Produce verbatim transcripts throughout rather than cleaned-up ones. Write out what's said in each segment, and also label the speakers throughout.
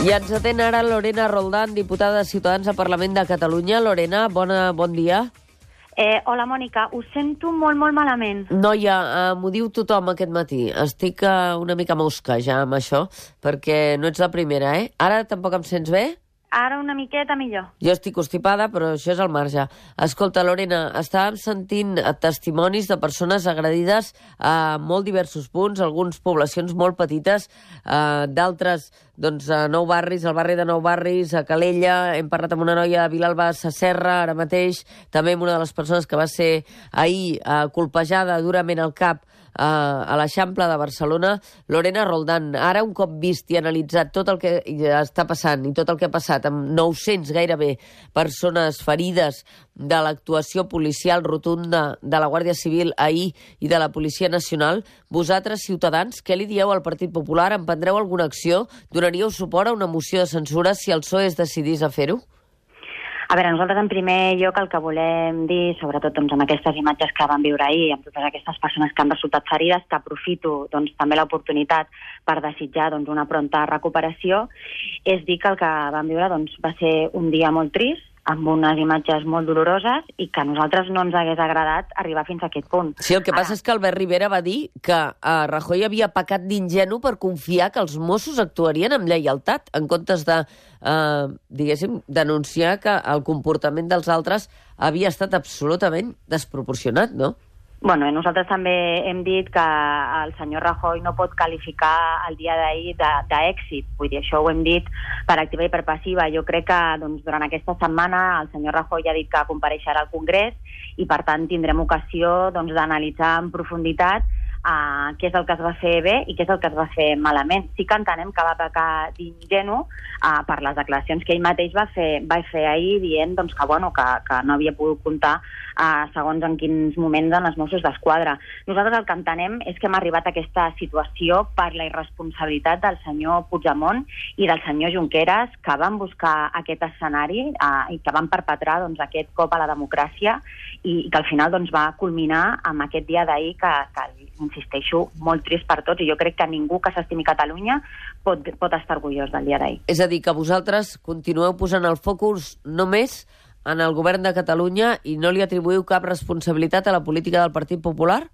Speaker 1: I ens atén ara Lorena Roldán, diputada de Ciutadans al Parlament de Catalunya. Lorena, bona, bon dia.
Speaker 2: Eh, hola, Mònica. Us sento molt, molt malament.
Speaker 1: Noia, eh, m'ho diu tothom aquest matí. Estic eh, una mica mosca ja amb això, perquè no ets la primera, eh? Ara tampoc em sents bé?
Speaker 2: Ara una miqueta millor.
Speaker 1: Jo estic constipada, però això és al marge. Escolta, Lorena, estàvem sentint testimonis de persones agredides a molt diversos punts, algunes poblacions molt petites, eh, d'altres doncs, a Nou Barris, al barri de Nou Barris, a Calella. Hem parlat amb una noia de Vilalba Sasserra, ara mateix, també amb una de les persones que va ser ahir eh, colpejada durament al cap a l'Eixample de Barcelona. Lorena Roldán, ara un cop vist i analitzat tot el que està passant i tot el que ha passat amb nou-cents gairebé persones ferides de l'actuació policial rotunda de la Guàrdia Civil ahir i de la Policia Nacional, vosaltres, Ciutadans, què li dieu al Partit Popular? Emprendreu alguna acció? Donaríeu suport a una moció de censura si el P S O E es decidís a fer-ho?
Speaker 2: A veure, nosaltres en primer lloc el que volem dir, sobretot doncs, amb aquestes imatges que vam viure ahir, amb totes aquestes persones que han resultat ferides, que aprofito doncs, també l'oportunitat per desitjar doncs, una pronta recuperació, és dir que el que vam viure doncs, va ser un dia molt trist, amb unes imatges molt doloroses i que a nosaltres no ens hagués agradat arribar fins a aquest punt.
Speaker 1: Sí, el que passa Ara... és que Albert Rivera va dir que eh, Rajoy havia pecat d'ingenu per confiar que els Mossos actuarien amb lleialtat, en comptes de, eh, diguéssim, denunciar que el comportament dels altres havia estat absolutament desproporcionat, no?
Speaker 2: Bueno, nosaltres també hem dit que el senyor Rajoy no pot qualificar el dia d'ahir d'èxit. Vull dir, això ho hem dit per activa i per passiva. Jo crec que doncs, durant aquesta setmana el senyor Rajoy ha dit que compareixerà al Congrés i, per tant, tindrem ocasió doncs, d'analitzar en profunditat Uh, què és el que es va fer bé i què és el que es va fer malament. Sí que entenem que va pecar d'ingenu uh, per les declaracions que ell mateix va fer, va fer ahir dient doncs, que, bueno, que, que no havia pogut comptar uh, segons en quins moments en els Mossos d'Esquadra. Nosaltres el que entenem és que hem arribat a aquesta situació per la irresponsabilitat del senyor Puigdemont i del senyor Junqueras, que van buscar aquest escenari uh, i que van perpetrar doncs, aquest cop a la democràcia i, i que al final doncs, va culminar amb aquest dia d'ahir que, que insisteixo, molt trist per tots, i jo crec que ningú que s'estimi Catalunya pot, pot estar orgullós del dia d'ahir.
Speaker 1: És a dir, que vosaltres continueu posant el focus només en el govern de Catalunya i no li atribuïu cap responsabilitat a la política del Partit Popular?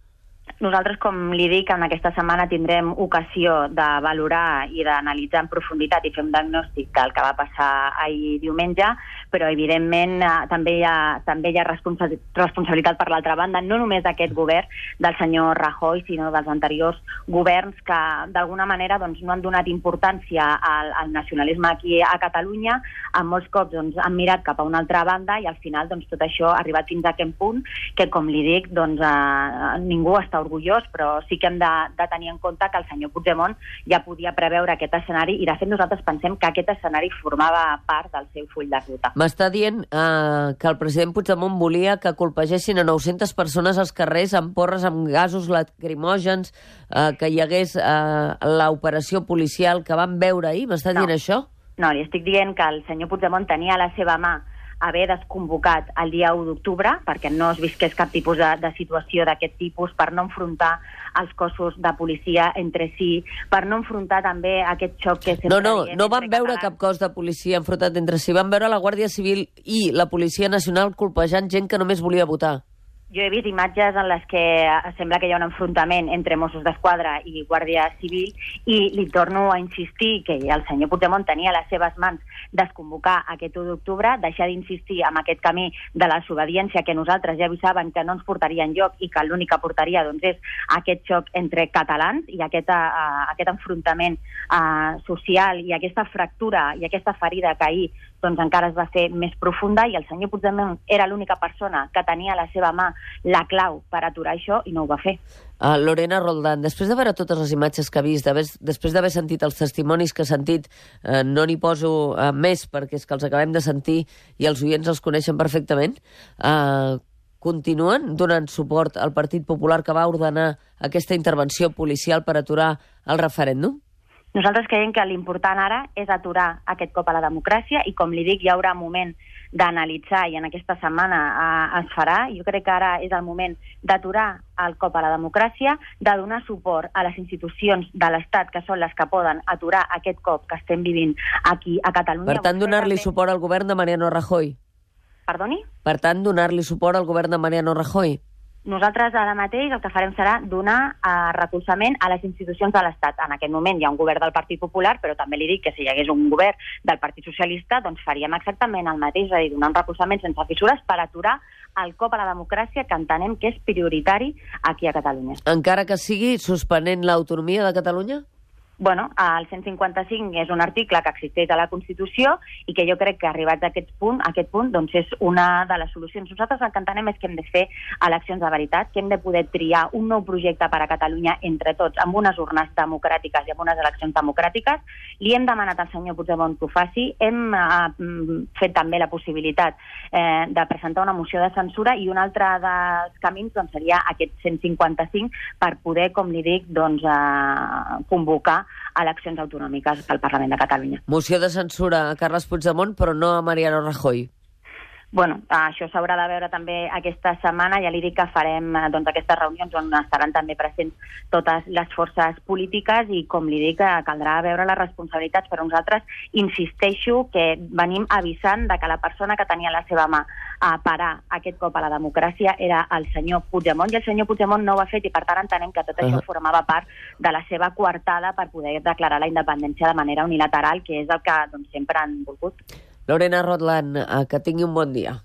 Speaker 2: Nosaltres, com li dic, en aquesta setmana tindrem ocasió de valorar i d'analitzar en profunditat i fer un diagnòstic del que va passar ahir diumenge, però evidentment eh, també hi ha, també hi ha responsa responsabilitat per l'altra banda, no només d'aquest govern, del senyor Rajoy, sinó dels anteriors governs que d'alguna manera doncs, no han donat importància al, al nacionalisme aquí a Catalunya, en molts cops doncs, han mirat cap a una altra banda i al final doncs, tot això ha arribat fins a aquest punt que, com li dic, doncs, eh, ningú està orgullós, però sí que hem de, de tenir en compte que el senyor Puigdemont ja podia preveure aquest escenari i de fet nosaltres pensem que aquest escenari formava part del seu full de ruta.
Speaker 1: M'està dient eh, que el president Puigdemont volia que colpegessin a nou-centes persones als carrers amb porres, amb gasos lacrimògens, eh, que hi hagués eh, l'operació policial que vam veure ahir. M'està
Speaker 2: no.
Speaker 1: dient això?
Speaker 2: No, li estic dient que el senyor Puigdemont tenia a la seva mà haver desconvocat el dia u d'octubre perquè no es visqués cap tipus de, de situació d'aquest tipus, per no enfrontar els cossos de policia entre si, per no enfrontar també aquest xoc que sempre...
Speaker 1: No, no,
Speaker 2: diem
Speaker 1: no van veure
Speaker 2: catalans.
Speaker 1: cap cos de policia enfrontat entre si, van veure la Guàrdia Civil i la Policia Nacional colpejant gent que només volia votar.
Speaker 2: Jo he vist imatges en les que sembla que hi ha un enfrontament entre Mossos d'Esquadra i Guàrdia Civil i li torno a insistir que el senyor Puigdemont tenia a les seves mans desconvocar aquest u d'octubre, deixar d'insistir en aquest camí de la desobediència que nosaltres ja avisaven que no ens portaria enlloc i que l'únic que portaria doncs, és aquest xoc entre catalans i aquest, uh, aquest enfrontament uh, social i aquesta fractura i aquesta ferida que ahir doncs, encara es va fer més profunda i el senyor Puigdemont era l'única persona que tenia a la seva mà la clau per aturar això i no ho va fer.
Speaker 1: Uh, Lorena Roldán, després de veure totes les imatges que ha vist, després d'haver sentit els testimonis que ha sentit, uh, no n'hi poso uh, més perquè és que els acabem de sentir i els oients els coneixen perfectament, uh, continuen donant suport al Partit Popular que va ordenar aquesta intervenció policial per aturar el referèndum?
Speaker 2: Nosaltres creiem que l'important ara és aturar aquest cop a la democràcia i, com li dic, hi haurà moment d'analitzar, i en aquesta setmana eh, es farà. Jo crec que ara és el moment d'aturar el cop a la democràcia, de donar suport a les institucions de l'Estat, que són les que poden aturar aquest cop que estem vivint aquí a Catalunya.
Speaker 1: Per tant, donar-li també... suport al govern de Mariano Rajoy.
Speaker 2: Perdoni?
Speaker 1: Per tant, donar-li suport al govern de Mariano Rajoy.
Speaker 2: Nosaltres ara mateix el que farem serà donar eh, recolzament a les institucions de l'Estat. En aquest moment hi ha un govern del Partit Popular, però també li dic que si hi hagués un govern del Partit Socialista, doncs faríem exactament el mateix, és a dir, donar un recolzament sense fissures per aturar el cop a la democràcia, que entenem que és prioritari aquí a Catalunya.
Speaker 1: Encara que sigui suspenent l'autonomia de Catalunya?
Speaker 2: Bueno, el cent cinquanta-cinc és un article que existeix a la Constitució i que jo crec que arribats a aquest punt, a aquest punt doncs és una de les solucions. Nosaltres el que entenem és que hem de fer eleccions de veritat, que hem de poder triar un nou projecte per a Catalunya entre tots, amb unes urnes democràtiques i amb unes eleccions democràtiques. Li hem demanat al senyor Puigdemont que ho faci. Hem eh, fet també la possibilitat eh, de presentar una moció de censura, i un altre dels camins doncs, seria aquest cent cinquanta-cinc per poder, com li dic, doncs, eh, convocar eleccions autonòmiques pel Parlament de Catalunya.
Speaker 1: Moció de censura a Carles Puigdemont, però no a Mariano Rajoy.
Speaker 2: Bueno, això s'haurà de veure també aquesta setmana. Ja li dic que farem doncs, aquestes reunions on estaran també presents totes les forces polítiques i, com li dic, caldrà veure les responsabilitats. Però nosaltres insisteixo que venim avisant de que la persona que tenia a la seva mà a parar aquest cop a la democràcia era el senyor Puigdemont, i el senyor Puigdemont no ho ha fet, i per tant entenem que tot això formava part de la seva coartada per poder declarar la independència de manera unilateral, que és el que doncs, sempre han volgut.
Speaker 1: Lorena Roldán, que tingui un bon dia.